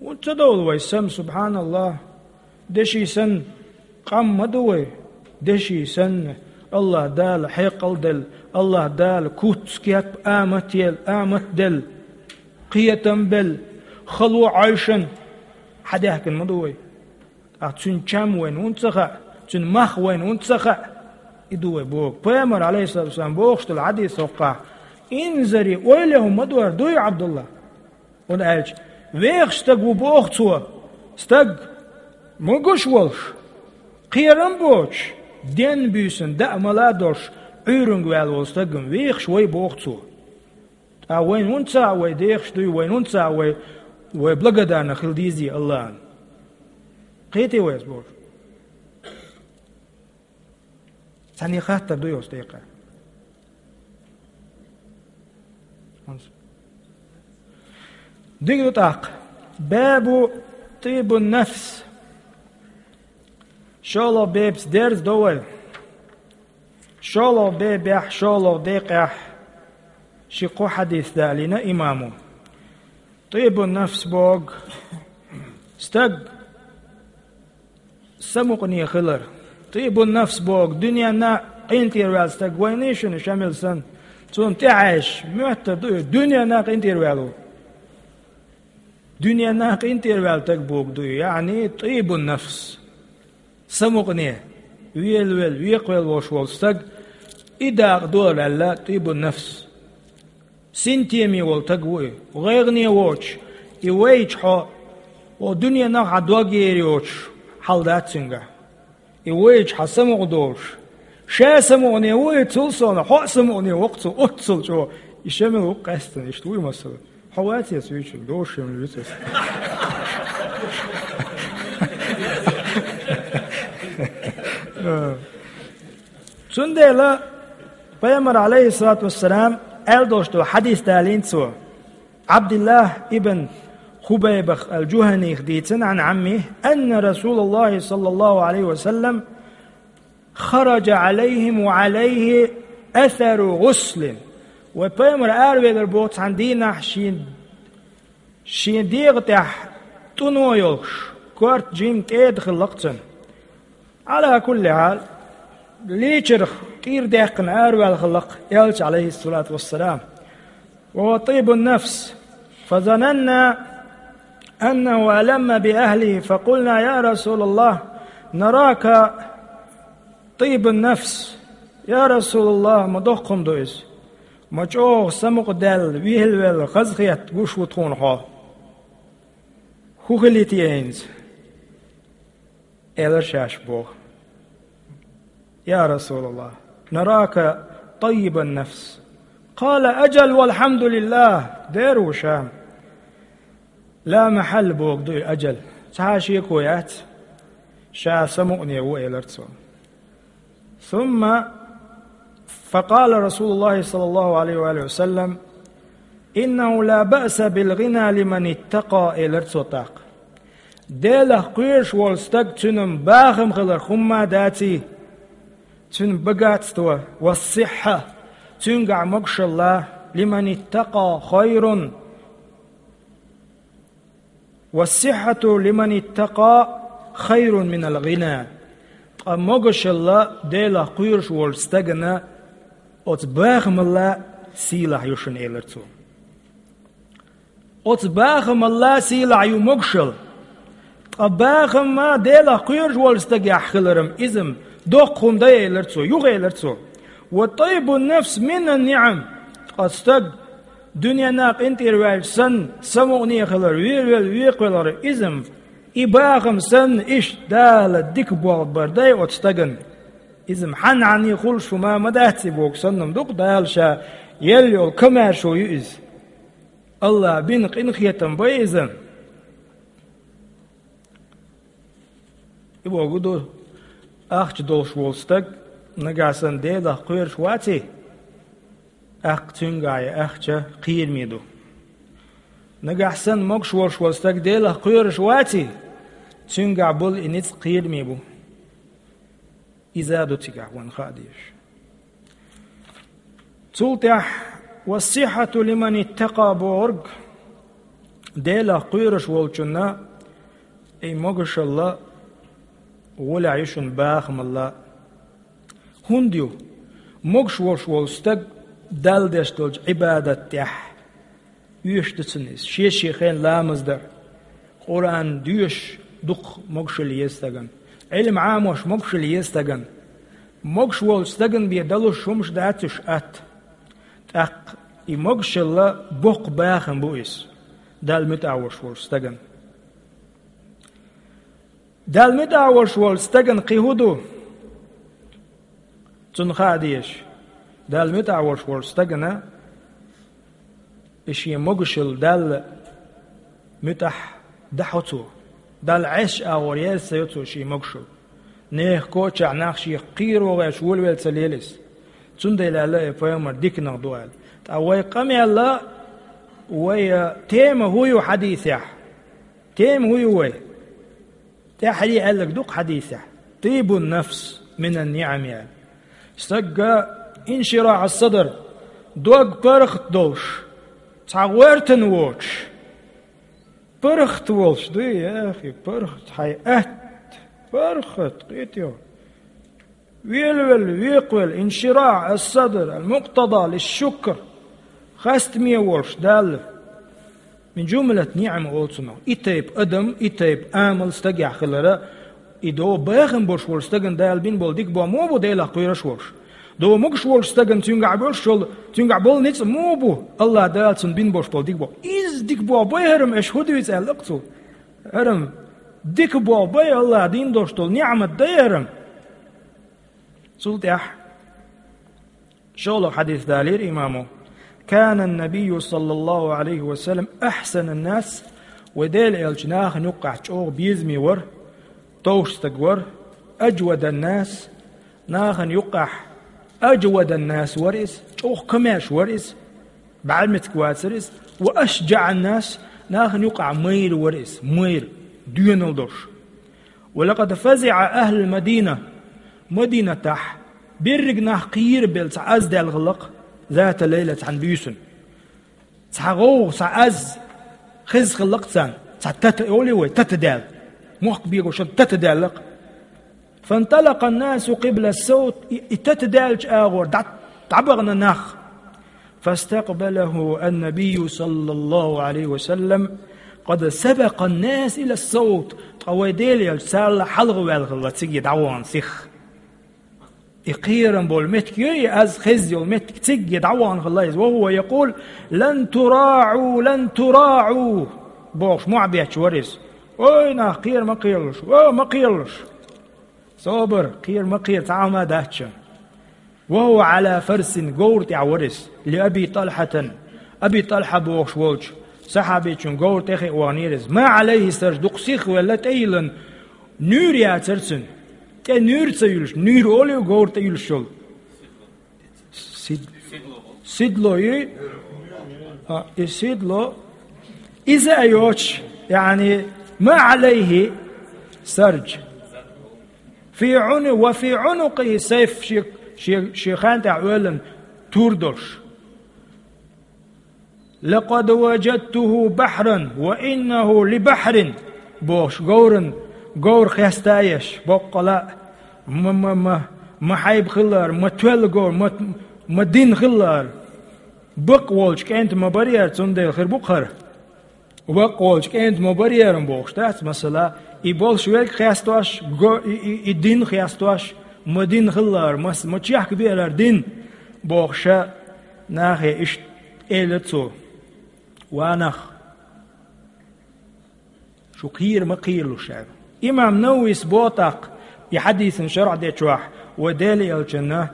ХӀунда ца довла вай сам, субхьаналлахӀ? Деши санна, къам ма ду вай, деши санна, АллахӀ Дала хьекъал делла, АллахӀ Дала куц, кеп, амат ел-, амат делла, кхетам белла, хало Ӏойшан хьадаьхкина ма ду вай. Ткъа цуьнан чам вайна хӀунда ца хаьа, цуьнан мах вайна хӀунда ца хаьа? И ду вай боху. Пайхамар, алейхиссалату вассалам, бохуш долу хьадис хӀокхахь: «Инзари, ойла хӀума ма дора дуй, Абдулла». ХӀунда аьлча вехаш стаг ву боху цо, стаг могуш волуш, кхерам боцуш, денна буьйсанна даа мала а долуш, Ӏуьйранга ваьлла волу стагам вехаш вай боху цо. Ткъа вайна хӀунда ца хаьа вай дехаш дуй, вайна хӀунда ца хаьа вай, вай благодарна хила дезий АллахӀана? Кхетий вай ас бохуш? Цхьанне хаттар дуй оцу тӀекъа? Дика ду тӀаккха. Бабу тӀибун нафс. ШолгӀа бепца дерза до вай. ШолгӀа бебехь, шолгӀа декъехь ши-кхо хьадис далийна имамо. ТӀибун нафс боху стаг самукъане хилар. ТӀибун нафс боху дуьненна къинтӀера ваьлла стаг вайний шуна Шамил санна. Цунна тӀаьхьаьжча, моьттур ду и, дуьненна къинтӀера ваьлла ву. Дуьненна къинтӀера ваьлла стаг боху ду и, яъни тӀибун нафс. Самукъане, велавелла, векхавелла волуш волу стаг, и дакъа ду аьлла, тӀибун нафс. Синтеме волу стаг ву и, гӀайгӀане воцуш, и вайча хьо, о, дуьненах хьан дог ер йоцуш хьал дац цуьнгахь. И вайча хьан самукъа долуш. Ша самукъане ву и, цул сов хьо а самукъане воккху цо, оццул чӀогӀа И шемил ву къаьстина, иштта вуй масала. Хьо вац ас вуьйчун, дошим вуьйцу ас. Цундела пайхамар, алейхиссалату вассалам, аьл долуш долу хьадис далийна цо. Абдуллах ибн Хубайбах ал-Джуханих дийцина, ан Амми, анна Расулаллахи саллаллаху алейхи ва саллам хараджа алейхим ва алейхи асару гъуслин. Вай пайхамар аравелар боху цхьана дийнахь шен, шен дегӀа тӀехь тӀуно йолуш, корта жим кӀеда хилла-кх цуьнан. Ала кулли хьал, лийчарх кӀира даьккхина араваьлла хилла-кх элча, алейхиссалату вассалам. Ва хува таййибун нафс. Фазананна аннаху аламма би ахлихи, факъулна: «Я Расулаллах, нарака таййибун нафс». Я Расулаллах, ма доккха хӀума ду иза. Ма чӀогӀа самукъадаьлла, вийлавелла, хазахетта гуш ву тхуна хьо. ХӀун хилийта еза хӀинца? Элира шаьш боху: «Я Расулаллах, нарака таййибан нафс». Къала: «Аджал, валхьамдулиллах». Дера ву ша. Ла махьалла боху ду и аджал. Цхьа а шеко яц. Ша самукъане ву, элира цо. Сумма факъала Расулуллахи саллаллаху алейхи ва алихи ва саллам: «Иннаху ла баъса бил гъина лиман иттакъа», — элира цо тӀаккха. Делах кхоьруш волу стаг, цуьнан бахам хилар хӀумма а даций, цуьнан богатство, ва сихьа, цуьнгахь могушалла, лиман иттакъа хайрун. «Ва сихьату лиман иттакъа хайрун минал гъина». Ткъа могушалла Делах кхоьруш волчу стагана оцу бахамалла сийлахь ю шуна, элира цо. Оцу бахамалла сийлахь ю могушалла. Ткъа бахамма Делах кхоьруш волчу стагехь хиларам изам доккха хӀума дай, элира цо, юха элира цо. «Ва таййибун нафс минан ниъам». Ткъа стаг дуьненна къинтӀера ваьлча санна, самукъане хилар, вийлавелла, векхавелларг изам, и бахам санна, иштта Дала дика болх бар дай оцу стагана. Изам хьанна-хьанне хуьлуш хӀума ма дац и боху санна-м ду-кх Дала ша елла йолу комаьршо ю иза. Аллах бина къинхетам бай иза. И боху ду, ахча долуш волу стаг нагахь санна Делах кхоьруш ваций, тӀаккха цуьнгахь и ахча кхераме ду. Нагахь санна могуш волуш волу стаг Делах кхоьруш ваций, цуьнгахь болу и ницкъ кхераме бу. Иза ду цигахь вайна хаа дезаш. Цул тӀаьхьа: «Ва сихьату лиман иттакъа», бохург, Делах кхоьруш волчунна и могушалла гӀолехь ю шуна бахамалла. ХӀунда ю? Могуш волуш волу стаг Далла деш долчу Ӏибадат тӀехь оьшуш ду цунна иза. Шен-шен хенахь ламаз дар, Къуръан доьшуш дукха могушалла еза стагана. Ӏилма Ӏамош могушалла еза стагана. Могуш волчу стагана бен далуш хӀумаш дац уьш атта. ТӀаккха и могушалла боккха бахам бу иза Далла муьтӀахь волуш волчу стагана. Далла муьтӀахь волуш волчу стагана кхин хӀун ду? Цунна хаа дезаш, Далла муьтӀахь волуш волчу стагана и шен могушалла Далла муьтӀахь дахьо цо. Далла Ӏеса агӀор еза ца йо цо шен могушалла. Нехан кочахь нах шех кхеро гӀерташ волавелла ца лела иза. Цундела аьлла и пайхамар диканах ду аьлла. Ткъа вай къамел а, вай, а, тема хӀун ю хьадисехь? Тема хӀун ю вай? ТӀаьххьара аьлларг ду-кх хьадисехь: «Таййибун нафс минан ниъам», — аьлла. Стагга инширахь ас-садр, дог паргӀат долуш, цхьа гӀоьртина воцуш, паргӀат волуш дуй, яхи, паргӀат хьайн атта, паргӀат, кхетий хьо. Велавелла, векхавелла, инширахь ас-садр, ал-мукътада лиш-шукр, хастаме волуш Далла. Мин жумлат ниъам олу цунах. И тайпа адам, и тайпа амал стагехь хилара, и догӀу бахам болуш волу стагана Дала бина болу дика боху муха бу Делах кхоьруш волуш? ДогӀу могуш волуш стагана цуьнгахь болуш йолу, цуьнгахь болу ницкъ муха бу Аллах Дала цунна бина болуш болу дика боху? Иза дика боху бай хӀара-м, аша хӀун дуьйцу аьлла-кх цо? ХӀара-м дика боху бай, Аллах дина долуш долу ниъмат дай хӀара-м. Цул тӀаьхьа шолгӀа хьадис далийра имамо: كان النبي صلى الله عليه وسلم أحسن الناس, вай Делан элча нахана юкъахь чӀогӀа безаме вара, товш стаг вара, أجود الناس, нахана юкъахь أجود الناس вара иза, чӀогӀа комаьрша вара иза, бӀаьрмециг вацара иза, وأشجع الناس, нахана юкъахь майра вара иза, майра, доьналла долуш. ولقد فزع أهل المدينة, Мадинатахь берриг нах кхерабелла цхьа аз даьлла хилла-кх, ذات ليلة, цхьана буьйсанна. Цхьа гӀовгӀа, цхьа аз хезна хилла-кх царна, цхьа тата, олий вай, тата даьлла. Мохк бегош тата даьлла-кх. فانطلق الناس قبل الصوت, и, и тата даьллачу агӀор дӀа-, дӀабахана нах. فاستقبله النبي صلى الله عليه وسلم قد سبق الناس إلى الصوت, ткъа вай Делан элча царла хьалха ваьлла хилла цига дӀавахана сиха. И кхерам болу меттиг ю, и аз хезна йолу меттиг, цига дӀавахана хилла иза. وهو يقول: لن تراعوا، لن تراعوا, бохуш, мохь бетташ вара иза. Ой, нах, кхера ма кхералаш, о, ма кхералаш. Собар, кхера ма кхера, цхьа хӀума дац шуна. وهو على فرس, говра тӀехь вара иза, لأبي طلحة, Аби ТӀалхьа бохуш волчу сахьабичун говра тӀе хиъна ваханера иза. ما عليه سرج, дукха сихвелла, тӀе йиллина, нуьйр яцара цуьнан. ТӀе нуьйр ца юьллуш, нуьйр олий говра тӀе юьллуш йолу? Сид-, седло ю? А, и седло. Иза а йоцуш, яъни, ما عليه سرج. في عنق, وفي عنقه سيف, шен, шен, шен хан тӀехь оьллина тур долуш. لقد وجدته بحرا وإنه لبحر, бохуш, говран, говр хеста а еш, боккъала а, ма, ма, ма, ма хьайба хилла хӀара, ма тоьлла говр, ма, ма дин хилла хӀара. Бакъ волчу кӀентан ма барий хӀара, цундела хир бу-кх хӀара. Бакъ волчу кӀентан ма барий хӀара бохуш дац, масала, и болуш верг хестош, го-, и, и, и дин хестош, ма дин хилла хӀара, ма, ма чехка бе хӀара дин, бохуш, нахе иштта элира цо. Ва нах, шу кхера ма кхералаш аьлла. Имам Нававис боху тӀаккха, и хьадисан шархь дечохь, вай Делан элчанна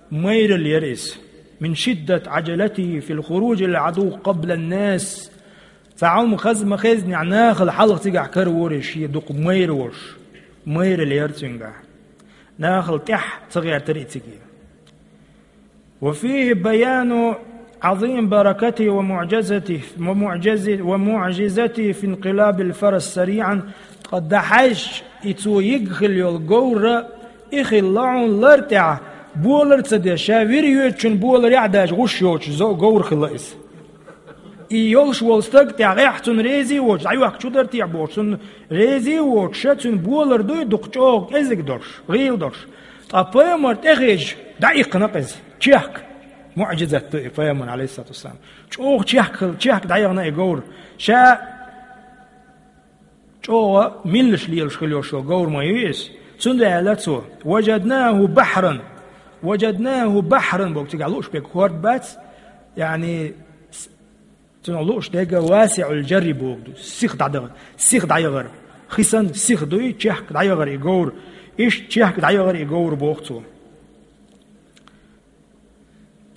майралла яра иза. من شدة عجلته في الخروج للعدو قبل الناس. Цхьа хӀума хаза ма хезнехь, нахала хьалха цигахь каравора иза, шен дукха майра волуш. Майралла яра цуьнгахь. Нахала тӀаьхьа ца гӀертара и цига. وفيه بيان عظيم بركته ومعجزته، ومعجز-، ومعجزته في انقلاب الفرس سريعا. Ткъа дӀахьаьжча, и цо йигна хилла йолу говр, и хилла хьуна лар тӀехь, болар а ца деш, ша вир йоьдучун боларехь а даьлча гӀуш йоцуш зо-, говр хилла иза. И йолуш волу стаг тӀехь гӀехь цунна резий воцуш, дӀайохка чу дара техьа бохуш, цунна резий воцуш, ша цуьнан болар дуй дукха чӀогӀа кӀезиг долуш, гӀийла долуш. Ткъа пайхамар тӀехьа хезча, дӀаиккхина-кх иза. Чехка. МуӀжизат ду и пайхамаран, алейхиссалату вассалам. ЧӀогӀа чехка хилла, чехка дӀаяхана и говр. Ша чӀогӀа миллаш лелаш хила йолуш йолу говр ма ю иза. Цундела аьлла цо: «Важаднаху бахран». «Важаднаху бахран» боху цигахь лууш берг хӀорд бац, яъни, с-, цунах лууш дерг васиӀул жарри боху ду. Сиха дӀадахар, сиха дӀаяхар. Хи санна сиха дуй, чехка дӀаяхар и говр. Иштта чехка дӀаяхар и говр боху цо.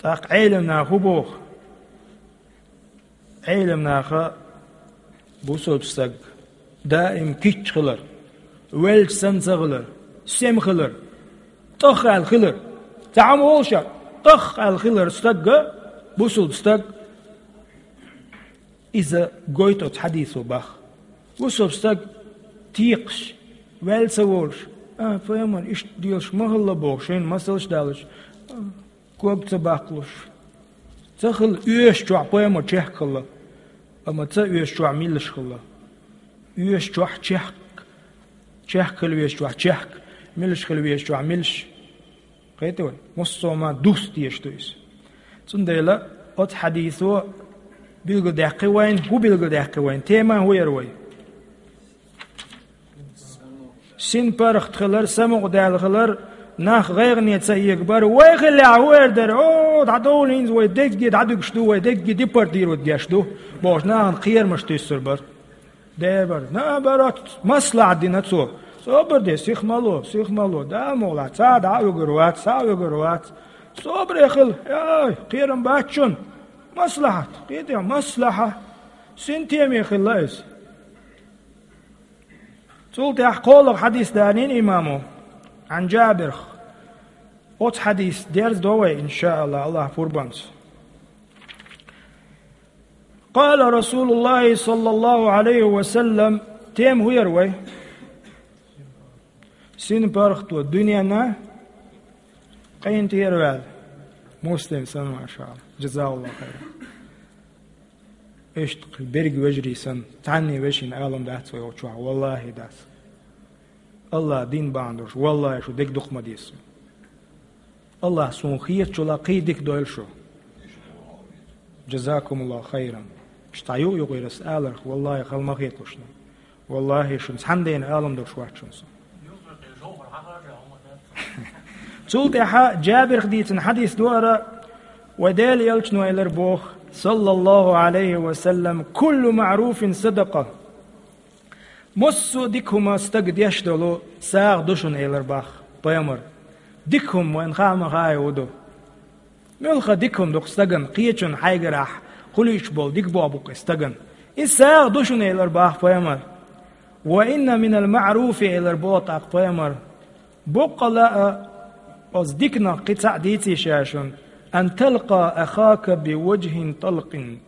ТӀаккха Ӏелам наха хӀун боху? Ӏелам наха бусалба стаг даим кийча хилар, велча санна ца хилар, сема хилар, тӀах аьлла хилар. Цхьа хӀума олуш а, тӀах аьлла хилар стагга, бусалба стаг, иза гойту оцу хьадисо бах. Бусалба стаг текхаш, ваьлла ца волуш: «А, пайхамар, иштта делаш ма хилла», — боху, шайна масалш а далуш, а, ког ца баккхалуш. Ца хилла оьшучохь пайхамар чехка хилла, амма ца оьшучохь миллаш хилла. Оьшучохь чехка, чехка хила везачохь чехка, миллаш хила везачохь миллаш. Кхетий вай? Массо а ма дус дезаш ду иза. Цундела оцу хьадисо билгалдаьккхи вайн, хӀун билгалдаьккхи вайн? Тема хӀун яра вай? СинпаргӀат хилар, самукъадаьлла хилар, нах гӀайгӀане ца эгабар. Вай хиллехь хӀун эр дара? О, дӀадовла хӀинца, вай дегге дӀадуьгуш ду, вай дегге депортировать деш ду, бохуш, нахана кхерамаш туьйсур бара. Дера бара. Наоборот, маслахьат дина цо. Собар де, сиха ма ло, сиха ма ло. Да, мугӀла, цхьа а дӀа а вуьгур вац, цхьа а вуьгур вац. Собаре хила, ай, кхерам бац шуна. Маслахьат, кхетий, маслахьа. Синтеме хилла иза. Цул тӀаьхьа кхоалагӀа хьадис далийна имамо, Ӏан Джабирх. Оцу хьадис дерзадо вай, иншааллахӀ, АллахӀ пурбанца. قال رسول الله صلى الله عليه وسلم, тема хӀун яра вай? СинпаргӀато дуьненна къинтӀера ваьлла. Муслим санна, машааллахӀ. ДжазакаллахӀу хайран. Иштта берриг вежарий санна, цхьанне вешина алам дац вай оцу чохь, валлахӀи, дац. АллахӀ дин бахьана долуш, валлахӀи, шу дерг дукха ма деза. АллахӀа суна хетачул а кхин дика дойла шу. ДжазакумуллахӀу хайран. Иштта юкъа-юкъара ас аларх, валлахӀи, хала ма хеталаш шуна. ВаллахӀи, шуна цхьаннена алам долуш вац шуна со. Цул тӀаьхьа Джабирх дийцина хьадис ду хӀара, вай Делан Элчано элира боху, саллаллахӀу Ӏалайхи ва саллам: «Куллу маъруфин садакъа». Массо а дика хӀума стага деш долу сагӀа ду шуна, элира боху пайхамара. Дика хӀума вайна хаа ма хаьа хӀун ду. Муьлхха дика хӀума ду-кх стагана, кхечунна, хьайгара хуьлуьйтуш болу дика болх бу-кх и стагана. Иза сагӀа ду шуна, элира боху пайхамара. «Ва инна минал маъруфи», элира боху тӀаккха пайхамара. Боккъала а, оцу диканах кхин цхьаъ дийций ша шуна: «Ан талкъа ахака би ваджхин талкъин».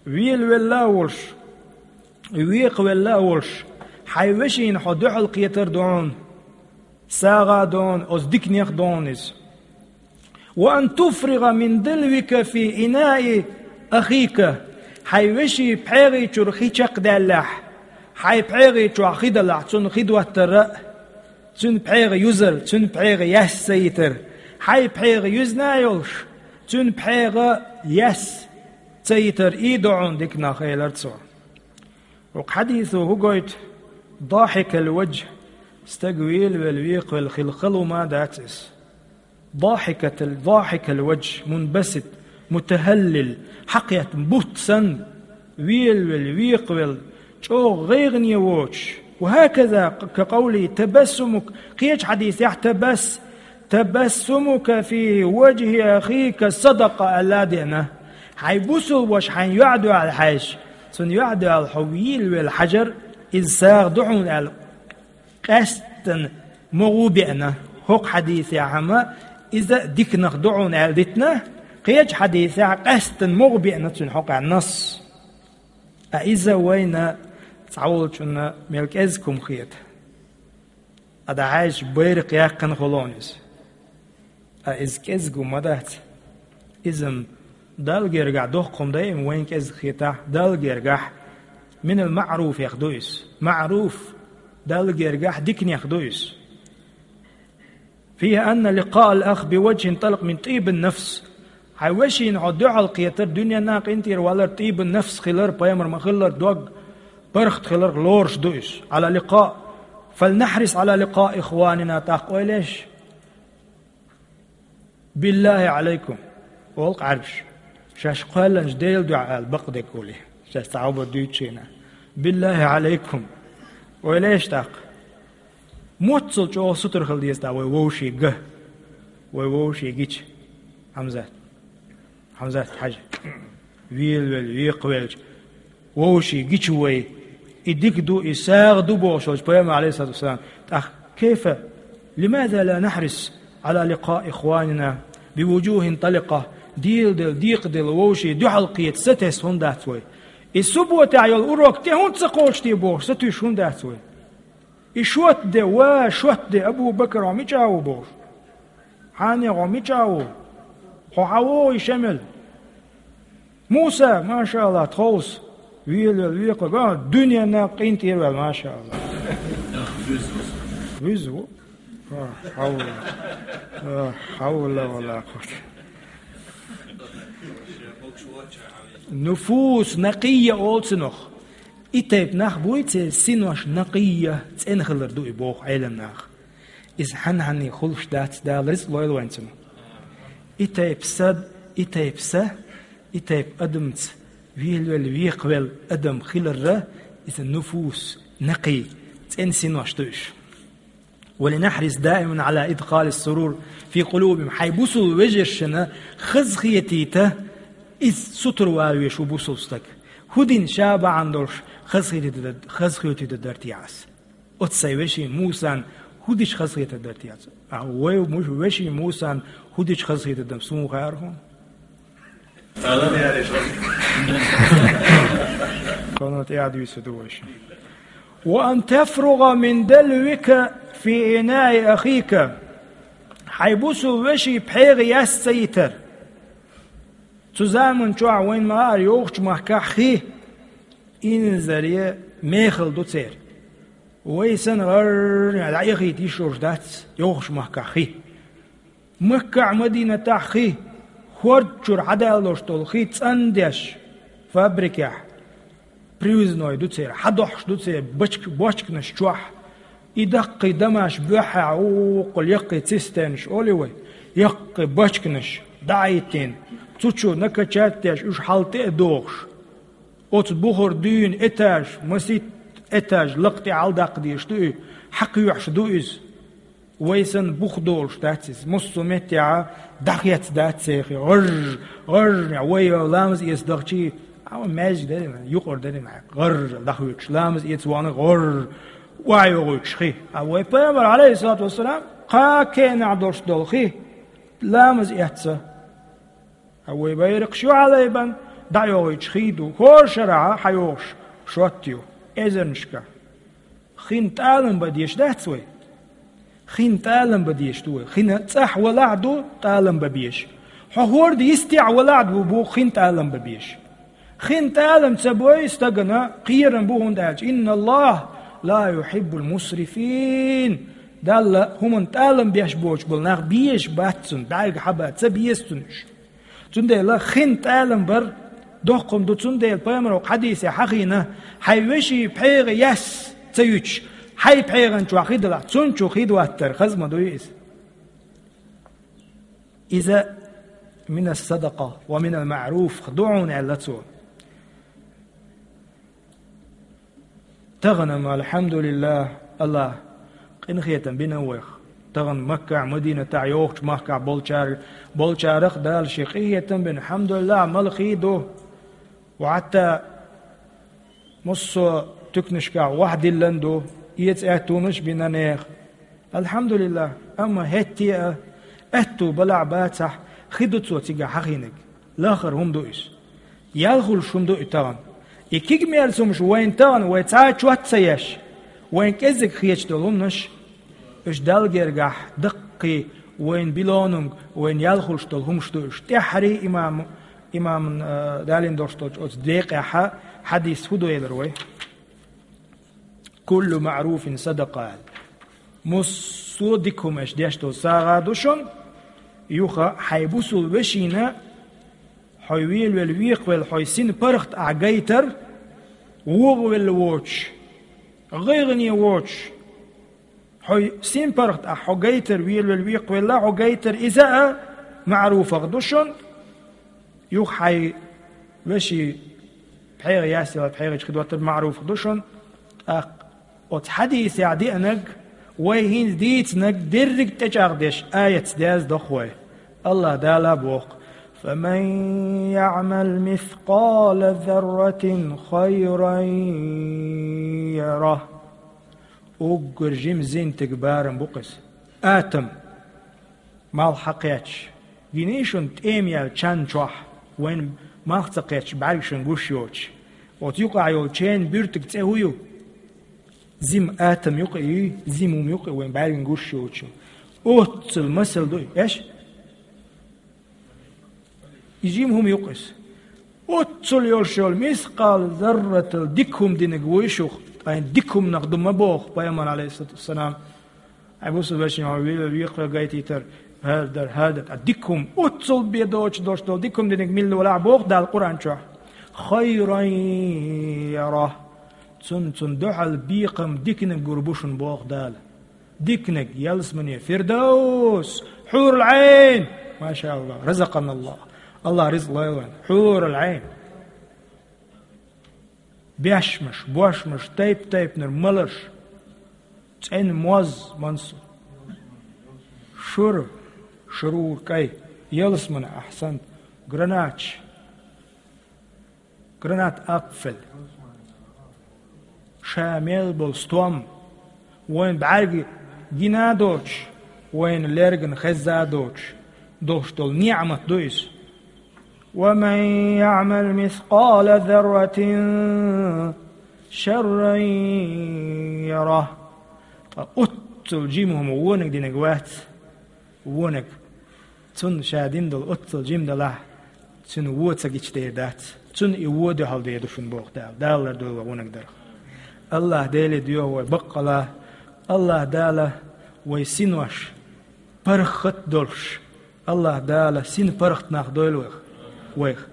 Велавелла а волуш, векхавелла а волуш, хьайн вешина хьо дуьхьал кхетар ду хьуна, сагӀа а ду хьуна, оцу диканех а ду хьуна иза. «Ва ан туфригӀа мин далвика фи инаи ахика». Хьайн вешин пхьегӀи чуьра хи чекхдаьллехь, хьайн пхьегӀи чохь хи далахь, цунна хи доттар а, цуьнан пхьегӀа юзар, цуьнан пхьегӀа яьсса ца йитар, хьайн пхьегӀа юьзна а йолуш, цуьнан пхьегӀа яьсса ца йитар, и ду хьуна диканах, элира цо. Оцу хьадисо хӀун гойту? Дахикал ваджх, стаг велавелла, векхавелла хила хала хӀума дац иза. Дахикатал, дахикал ваджх, мунбасит, мутахаллил, хьакхетта бутт санна, велавелла, векхавелла, чӀогӀа гӀайгӀане воцуш. Ва хӀаказа ка къавли табассумук, кхечу хьадисехь табас-, «Табассумука фи ваджхи ахика садакъа», аьлла а деана. Хьайн бусулба ваша хьайна юьхь а доьлла хьаьжча, цунна юьхь а доьлла хьо велавелла хьажар, иза сагӀа ду хьуна аьлла, къаьсттина могӀа беана. ХӀокху хьадисехь-м иза диканах ду хьуна аьлла дитина, кхечу хьадисехь къаьсттина могӀа беана цуьнан хьокъехь насс. Ткъа иза вайна цхьаволчунна мел кӀезиг хӀума хета. Ткъа дӀахьаьжча, байракх яьккхина хуьлу иза. Ткъа иза кӀезиг хӀума ма дац. Иза-м Далла гергахь доккха хӀума дай-м вайна кӀезиг хетахь, Далла гергахь минал маъруфех ду иза. Маъруф, Далла гергахь диканех ду иза. «Фиха анна ликъаал ах би ваджхин талкъ мин тӀибин нафс». Хьайн вешина хьо дуьхьал кхетар, дуьненна а къинтӀера валар, тӀибин нафс хилар, пайхамар ма-хиллара дог паргӀат хиларх лоруш ду иза. Ӏала ликъа, фалнахьрис Ӏала ликъаи ихванина, тӀаккха ойла еш. «Биллахи Ӏалайкум», олу-кх Ӏаьрбаша. Шаьш кхоьллинчу Делан дуьхьа ала бакъдерг хуьлий. Шаьш цхьа хӀума дуьйцучу хенахь. «Биллахи Ӏалайкум». Ойла еш тӀаккха. Моццул чӀогӀа сутара хила деза тӀаккха вай вовшийн ган. Вай вовшийн гича. Хьамзат. Хьамзат, хьажа. Велавелла, векхавелча, вовшийн гича вай. И дика ду, и сагӀа ду бохуш волчу пайхамар, алейхиссалату вассалам. ТӀаккха: «Кайфа? Лимаза ла нахьрис Ӏала ликъаи ихванина би вуджухин таликъа?» Дийладелла, декхаделла вовшийн дуьхьал кхета сатесна хӀунда дац вай? И субботехь йолу урок тӀе хӀунда ца кхочушде бохуш, сатуьйсуш хӀунда дац вай? И шот де, ва, шот де, Абу Бакр, хьо мича ву бохуш? Хьане, хьо мича ву? Хьо хьан вогӀу и шемел? Муса, машаалла, тховса. Велавелла, векхавелла, дуьненна къинтӀера ваьлла, машаалла. Вуьзна ву. Ла хьавла. Ла хьавла ва ла къуввата. Нуфус накъийя олу цунах. И тайпа нах буй, церан синош накъийя, цӀена хилар ду и боху Ӏеламнаха. Иза хьанна-хьанне хуьлуш дац, Дала рицкъ лойла вайн цунах. И тайпа са, и тайпа са, и тайпа адамца велавелла, векхавелла адам хиларра, иза нуфус, накъий, цӀена синош ду уьш. «Ва линахьрис даиман Ӏала идхалис сурур фи къулубихим». Хьайн бусул вежаршна хазахетийта, Иза сутара валавеш ву бусалба стаг. ХӀу дина ша бахьана долуш хазахетийта дар, хазахетийта дар те ас? Оцу сайн вешин Мусан хӀу дича хазахетар дар те ас? А вай муш-, вешин Мусан хӀу дича хазахетар дар суна хаар хьуна? Кхана тӀаьхьа дуьйцур ду вайша. «Ва ан тафругӀа мин далвика фи инаи ахика». Хьайн бусалба вешин пхьегӀа яс ца йитар. Цу заман чохь вайна ма-, ара йовхачу махкахь хи инзаре мехала ду церан. Вай санна гӀарра дӀаэхийта йиш йолуш дац йовхачу махкахь хи. Маккахь, Мадинатахь хи, хӀорда чуьра хьадалош долу хи цӀандеш, фабрикехь, привозной ду церан, хьадохьуш ду церан бочк-, бочканаш чохь. И даккхий дамаш боьххьехь, гӀуллакхал яккхий цистернаш олий вай, яккхий бочканаш дӀа а хӀиттийна, цу чу накачать деш, уьш хьал тӀе а дохуш. Оцу бухара дуьйна этаж, масийтта этаж лакха тӀе хьаладаккха дезаш ду и, хьакхоьхьуш ду иза. Вай санна бух долуш дац иза. Массо а меттехь дӀахецна дац церан хи. ГӀарж, гӀарж, вай ламаз эца дахчий, а, маьждиг дарий, юкъара дарий, гӀарж дӀахоьцуш, ламаз эца вахана гӀарж, охьайогӀуьйтуш хи. А вай пайхамар, алейхиссалату вассалам, кхаа кенахь долуш долу хи, ламаз эцна. Хьан вай байракхаш ю хьалайбан, дӀайогӀуьйтуш хи ду, хӀора шарахь хьайогӀуш шот ю, эзарнашкахь. Хин тӀалам бан дезаш дац вай? Хин тӀалам бан дезаш ду вай. Хин цӀахь валахь а ду тӀалам бан безаш. Хьо хӀорда йистехь валахь а ду боху хин тӀалам бан безаш. Хин тӀалам ца бой стагана кхерам бу, хӀунда аьлча: «Инна Аллаха ла юхиббул мусрифин». Далла хӀуманна тӀалам беш боцуш болу нах безаш бац цунна, бӀаьрга хьаба ца беза цунна уьш. Цундела хин тӀалам бар доккха хӀума ду, цундела пайхамаро хьадисехь хьахийна: «Хьайн вешин пхьегӀа яс ца юьтуш, хьайн пхьегӀан чохь хи далахь, цунна чу хи доттар хаза ма дуй иза. Иза минас садакъа ва минал маъруф ду хьуна», аьлла цо. Тахана-м, алхьамдулиллах, Аллах къинхетам бина вайх. Тахана Маккахь, Мадинатахь, йохучу махкахь болчар-, болчарах Дала шен къинхетам бина. Алхьамдулиллах, мала хи ду. Ва хьатта массо а туькнашкахь вахдиллан ду, эца аьттонаш бина нехан. Алхьамдулиллах, амма хӀетте а, аьтту балахь бацахь, хи ду цо цигахь хьахийнарг. Лахара хӀума ду иза. Ял хуьлуш хӀума ду и тахана. И кегий-мерза хӀумаш вайна тахана, вай цхьа а чот ца еш, вайна кӀеззиг хеташ долу хӀуманаш, уьш Далла гергахь даккхий вайна билонунг, вайна ял хуьлуш долу хӀумаш ду уьш. ТӀаьххьарий имам, имаман, а, далийна долуш долчу оцу декъехь хьадис хӀун ду элира вай? «Куллу маъруфин садакъа», аьлла. Массо а дика хӀума аша деш долу сагӀа ду шуна, юха хьайн бусалба вешина, хьо велавелла, векхавелла, хьо синпаргӀат ахь гайтар, вогӀавелла воцуш, гӀайгӀане воцуш, хьо синпаргӀат ахь хьо гайтар, велавелла, векхавелла хьо гайтар, иза а маъруфах ду шуна, юха хьайн вешин пхьегӀа ясъяла, пхьегӀа чу хи доттар маъруфах ду шуна, тӀаккха оцу хьадисехь деанарг, вай хӀинца дийцинарг дерриг а тӀечӀагӀдеш аятца дерзадо вай. Аллах Дала боху: «Фаман яъмал мискъала зарратин хайран ярах». Уггар жима зинтиг барам бу-кх иза. Атом. Малх хьакхетча, гиний шуна тӀема яьлла чан чохь, вайна малх ца кхетча, бӀаьргашна гуш йоцуш? Оцу юкъахь йолу чен буьртиг цӀе хӀун ю? Зима атом ю-кх и, зима хӀума ю-кх и, вайн бӀаьргана гуш йоцуш. Оццул масал ду и, эш? И жима хӀума ю-кх иза. Оццул йолуш йолу мискъал зарратал дика хӀума динарг вуй шух, ткъа дика хӀуманах ду ма боху пайхамар, алейхиссалату вассалам. Хьайн бусалба вешин хьо ве-, векхавелла гайтийтар, хӀара дар, хӀара дар. Ткъа дика хӀума, оццул бен доцуш долуш долу дика хӀума динарг мила валахь боху Дала Къуръан чохь. Хайран ярах. Цунна, цунна дуьхьал бекхам диканиг гур бу шуна боху Дала. Диканиг, ялсамане, Фирдавс, хьурул Ӏайн. Маша Аллах, разакъаналлах. Аллах ризкъ лойла вайн. Хьурул Ӏайн. Бешмаш, бошмаш, тайп-тайпанара маларш, цӀена моз, мансу, шура, шурура кӀай, ялсамане, ахьсант, граначаш, Гранатапфель. Ша мел болу стом, вайн бӀаьрга гина а доцуш, вайна лергана хезна а доцуш, долуш долу ниӀмат ду иза. ومن يعمل مثقال ذرة شرا يره. Ткъа оццул жима хӀума вониг диниг вац, вониг. Цунна ша дина долу оццул жима далахь, цуьнан вон ца гича дер дац. Цунна и вон дуьхьал дер ду шуна боху Дала. Дала лардойла вай вониг дарх. АллахӀ Деле доьху вай баккъала, АллахӀ Дала вай синош паргӀат долуш, АллахӀ Дала син паргӀат нах дойла вайх, вайх.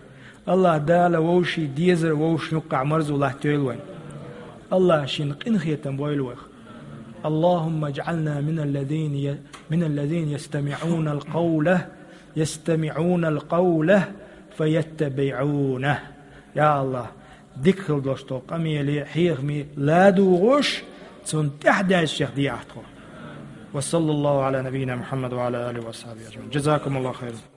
АллахӀ Дала вовшийн дезар вовшашна юккъехь марзо латтайойла вайн. АллахӀа шен къинхетам бойла вайх. اللهم اجعلنا من الذين ي-، من الذين يستمعون القول، يستمعون القول فيتبعون. Я АллахӀ, дика хила долуш долу къамеле, хьехаме ладугӀуш, цунна тӀаьхьадаьзначех дехьа тхо. وصلى الله على نبينا محمد وعلى آله وصحبه أجمعين. جزاكم الله خيرا.